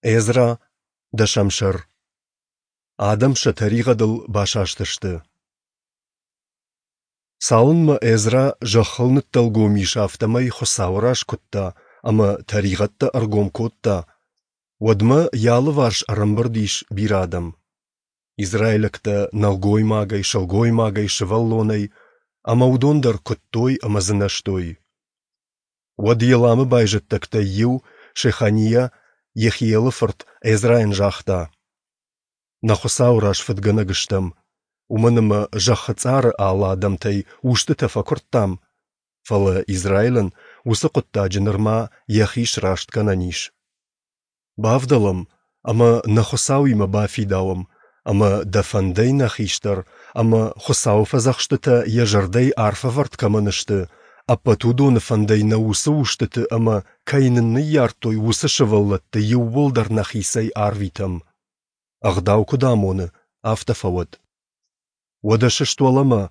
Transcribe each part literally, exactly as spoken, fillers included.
Эзра, дӕсӕм сӕр. Адӕм сӕ тӕригъӕдыл басастысты. Цалынмӕ Эзра зӕххыл ныддӕлгом ис, афтӕмӕй Хуыцауы раз куыдта ӕмӕ тӕригъӕдтӕ ӕргом кодта, уӕдмӕ йӕ алыварс ӕрӕмбырд ис бирӕ адӕм. Израилӕгтӕ нӕлгоймагӕй, сылгоймагӕй, сывӕллонӕй, ӕмӕ уыдон дӕр куыдтой ӕмӕ дзынӕзтой. Уӕд Еламы байзӕддӕгтӕй иу, Шехания, Йехиелы фырт Эзрайӕн загъта: Нӕ Хуыцауы раз фыдгӕнӕг стӕм, уымӕн ӕмӕ зӕххы цъары алы адӕмтӕй устытӕ фӕкуырдтам, фӕлӕ Израилӕн уыцы хъуыддаджы нырма йӕхи сраст кӕнӕн ис. Бавдӕлӕм ӕмӕ нӕ Хуыцауимӕ бафидауӕм, ӕмӕ дӕ фӕндӕй нӕ хистӕр ӕмӕ, Хуыцауы фӕдзӕхстытӕ йӕ зӕрдӕйы арф ӕвӕрд кӕмӕн сты, ӕппӕт уыдоны фӕндӕй нӕ уыцы устыты ӕмӕ, кӕй нын ныййардтой, уыцы сывӕллӕтты иууылдӕр нӕхицӕй арвитӕм. Ӕгъдау куыд амоны, афтӕ фӕуӕд. Уӕдӕ сыст уӕлӕмӕ,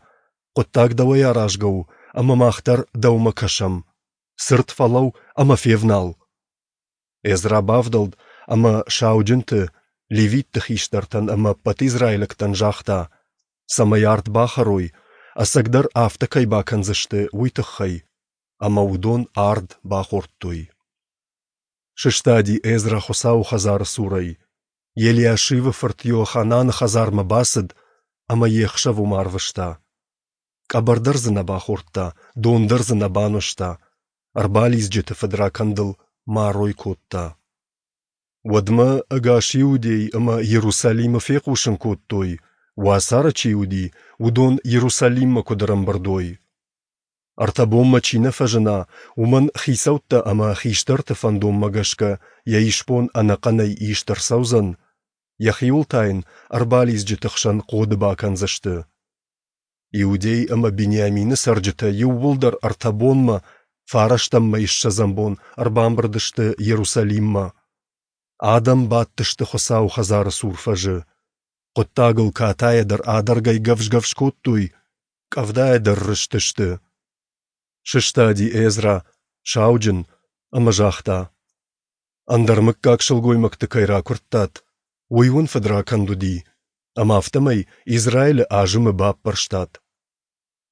хъуыддаг дӕуӕй аразгӕ у, ӕмӕ мах дӕр дӕумӕ кӕсӕм. Цырд фӕлӕуу ӕмӕ февнал. Эзра бавдӕлд ӕмӕ сауджынты, левитты хистӕртӕн ӕмӕ ӕппӕт израилӕгтӕн загъта, цӕмӕй ард бахӕрой, ӕцӕгдӕр афтӕ кӕй бакӕндзысты, уый тыххӕй, ӕмӕ уыдон ард бахордтой. Сыстади Эзра Хуыцауы хӕдзары цурӕй, Елиашивы фырт Иохананы хӕдзармӕ бацыд ӕмӕ йе хсӕв уым арвыста. Къӕбӕр дӕр дзы нӕ бахордта, дон дӕр дзы нӕ банызта, ӕрбалидзджыты фыдракӕндыл марой кодта. Уӕдмӕ ӕгас Иудей ӕмӕ Иерусалимы фехъусын кодтой, уацары чи уыди, уыдон Иерусалиммӕ куыд ӕрӕмбырд уой. Ӕртӕ бонмӕ чи нӕ фӕзына, уымӕн хицӕуттӕ ӕмӕ хистӕрты фӕндонмӕ гӕсгӕ йӕ исбон ӕнӕхъӕнӕй ист ӕрцӕудзӕн, йӕхиуыл та йын ӕрбалидзджыты хсӕн хъоды бакӕндзысты. Иудей ӕмӕ Бениамины цӕрджытӕ иууылдӕр ӕртӕ бонмӕ, фарӕстӕм мӕйы ссӕдзӕм бон, ӕрбамбырд сты Иерусалиммӕ. Адӕм бадтысты Хуыцауы хӕдзары цур фӕзы. Хъуыддагыл катайӕ дӕр адӕргӕй гӕвз-гӕвз кодтой, къӕвдайӕ дӕр рызтысты. Сыстади Эзра, сауджын, ӕмӕ загъта: Ӕндӕр мыггаг сылгоймӕгты кӕй ракуырдтат, уый уын фыдракӕнд уыди, ӕмӕ афтӕмӕй Израилы азымы баппӕрстат.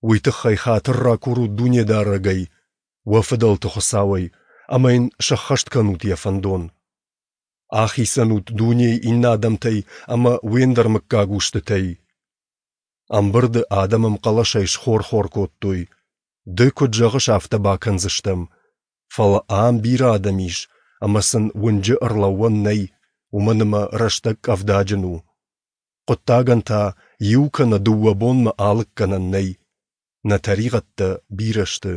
Уый тыххӕй хатыр ракурут Дунедарӕгӕй, уӕ фыдӕлты Хуыцауӕй, ӕмӕ Йын сӕххӕст кӕнут Йӕ фӕндон. Ахицӕн ут дунейы иннӕ адӕмтӕй ӕмӕ уе ндӕрмыггаг устытӕй. Ӕмбырды адӕм ӕмхъӕлӕсӕй схор-хор кодтой: Ды куыд зӕгъыс, афтӕ бакӕндзыстӕм. Фӕлӕ ам бирӕ адӕм ис, ӕмӕ сын уынджы ӕрлӕууӕн нӕй, уымӕн ӕмӕ рӕстӕг къӕвдаджын у. Хъуыддагӕн та иу кӕнӕ дыууӕ бонмӕ алыггӕнӕн нӕй. Нӕ тӕригъӕдтӕ бирӕ сты.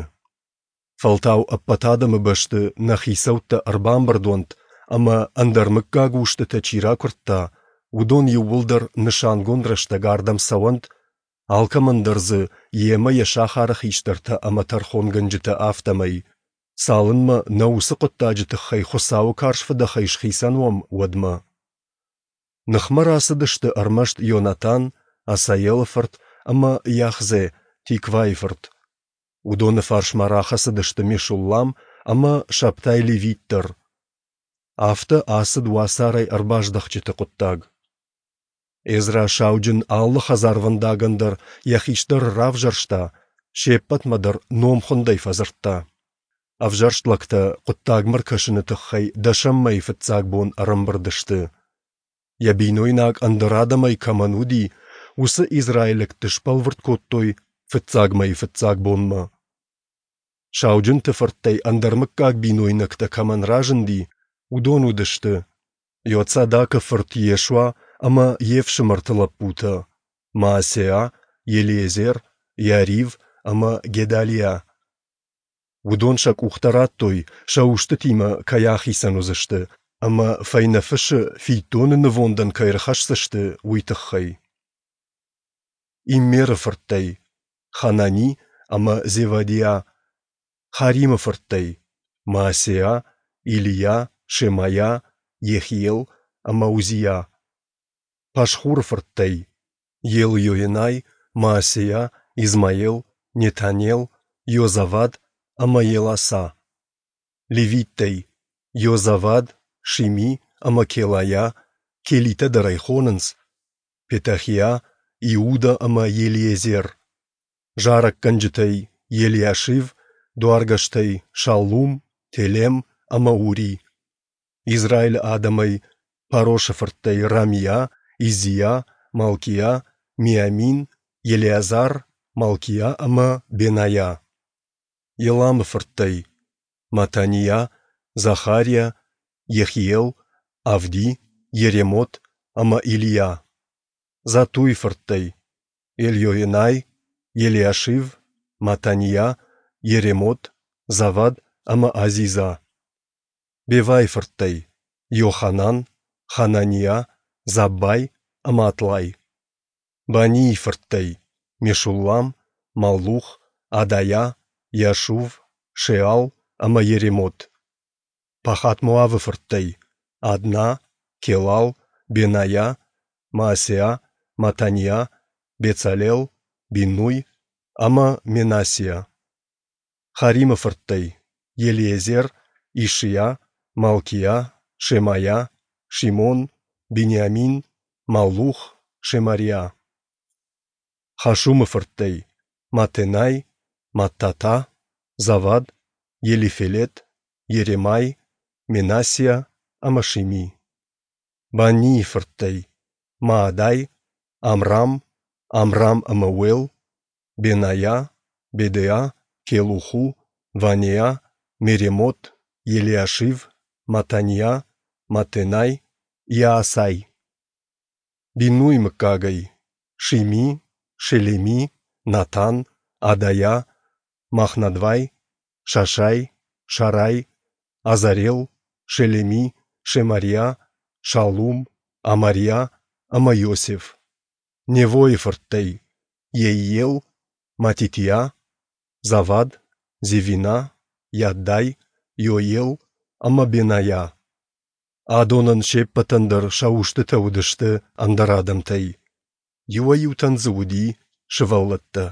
Фӕлтау ӕппӕт адӕмы бӕсты нӕ хицӕуттӕ ӕрбамбырд уӕнт ӕмӕ, ӕндӕрмыггаг устытӕ чи ракуырдта, уыдон иууылдӕр нысангонд рӕстӕг ардӕм цӕуӕнт, алкӕмӕн дӕр дзы йемӕ йӕ сахары хистӕртӕ ӕмӕ тӕрхонгӕнджытӕ, афтӕмӕй, цалынмӕ нӕ уыцы хъуыддаджы тыххӕй Хуыцауы карз фыдӕхӕй схицӕн уӕм, уӕдмӕ. Ныхмӕ рацыдысты ӕрмӕст Ионатан, Асаелы фырт, ӕмӕ Йахзе, Тиквайы фырт. Уыдоны фарсмӕ рахӕцыдысты Мешуллам ӕмӕ Шабтай левит дӕр. Афтӕ ацыд уацарӕй ӕрбаздӕхджыты хъуыддаг. Эзра сауджын алы хӕдзарвӕндагӕн дӕр йӕ хистӕры равзӕрста, се ппӕтмӕ дӕр номхуындӕй фӕдзырдта. Ӕвзӕрст лӕгтӕ хъуыддагмӕ ркӕсыны тыххӕй дӕсӕм мӕйы фыццаг бон ӕрӕмбырд сты. Йӕ бинойнаг ӕндӕр адӕмӕй кӕмӕн уыди, уыцы израилӕгты сбӕлвырд кодтой фыццаг мӕйы фыццаг бонмӕ. Сауджынты фырттӕй ӕндӕрмыггаг бинойнӕгтӕ кӕмӕн разынди, уыдон уыдысты: Иоцадакы фырт Йешуа ӕмӕ йе фсымӕрты лӕппутӕ: Маасеа, Елиезер, Иарив ӕмӕ Гедалиа. Уыдон сӕ къухтӕ радтой, сӕ устытимӕ кӕй ахицӕн уыдзысты ӕмӕ фӕйнӕ фысы фиддоны нывондӕн кӕй ӕрхӕсдзысты, уый тыххӕй. Иммеры фырттӕй: Ханани ӕмӕ Зевадиа; Харимы фырттӕй: Маасеа, Илийа, Шемайа, Йехиел ӕмӕ Узиа; Пашхуры фырттӕй: Елйоенай, Маасеа, Измаел, Нетанел, Йозавад ӕмӕ Еласа; левиттӕй: Йозавад, Шими ӕмӕ Келайа, Келитӕ дӕр ӕй хонынц, Петахиа, Иуда ӕмӕ Елиезер. Зарӕггӕнджытӕй Елиашив, дуаргӕстӕй Шаллум, Телем ӕмӕ Ури. Израилы адӕмӕй Парошы фырттӕй Рамиа, Иззиа, Малкиа, Миамин, Елеазар, Малкиа ӕмӕ Бенайа. Еламы фырттӕй Матаниа, Захариа, Йехиел, Авди, Йеремот ӕмӕ Илийа. Затуйы фырттӕй Елйоенай, Елиашив, Матаниа, Йеремот, Завад ӕмӕ Азиза. Бевайы фырттӕй Йоханан, Хананиа, Заббай ӕмӕ Атлай. Банийы фырттӕй Мешуллам, Маллух, Адайа, Иашув, Шеал ӕмӕ Йеремот. Пахат-Моавы фырттӕй Адна, Келал, Бенайа, Маасеа, Матаниа, Бецалел, Биннуй ӕмӕ Менассиа. Харимы фырттӕй Елиезер, Ишиа, Малкиа, Шемайа, Шимон, Бениамин, Маллух, Шемариа. Хашумы фырттӕй Матенай, Маттата, Завад, Елифелет, Йеремай, Менассиа ӕмӕ Шими. Баннийы фырттӕй Маадай, Амрам, Амрам ӕмӕ Уел, Бенайа, Бедеа, Келуху, Ванеа, Меремот, Елиашив, Матаниа, Маттенай, Иаасай. Биннуйы мыггагӕй Шими, Шелеми, Натан, Адайа, Махнадвай, Шашай, Шарай, Азарел, Шелеми, Шемариа, Шаллум, Амариа ӕмӕ Иосиф. Невойы фырттӕй Йеиел, Матитиа, Завад, Зевина, Яддай, Иоел ӕмӕ Бенайа. Адонӕн се ппӕтӕн дӕр сӕ устытӕ уыдысты ӕндӕр адӕмтӕй. Иуӕй-иутӕн дзы уыди сывӕллӕттӕ.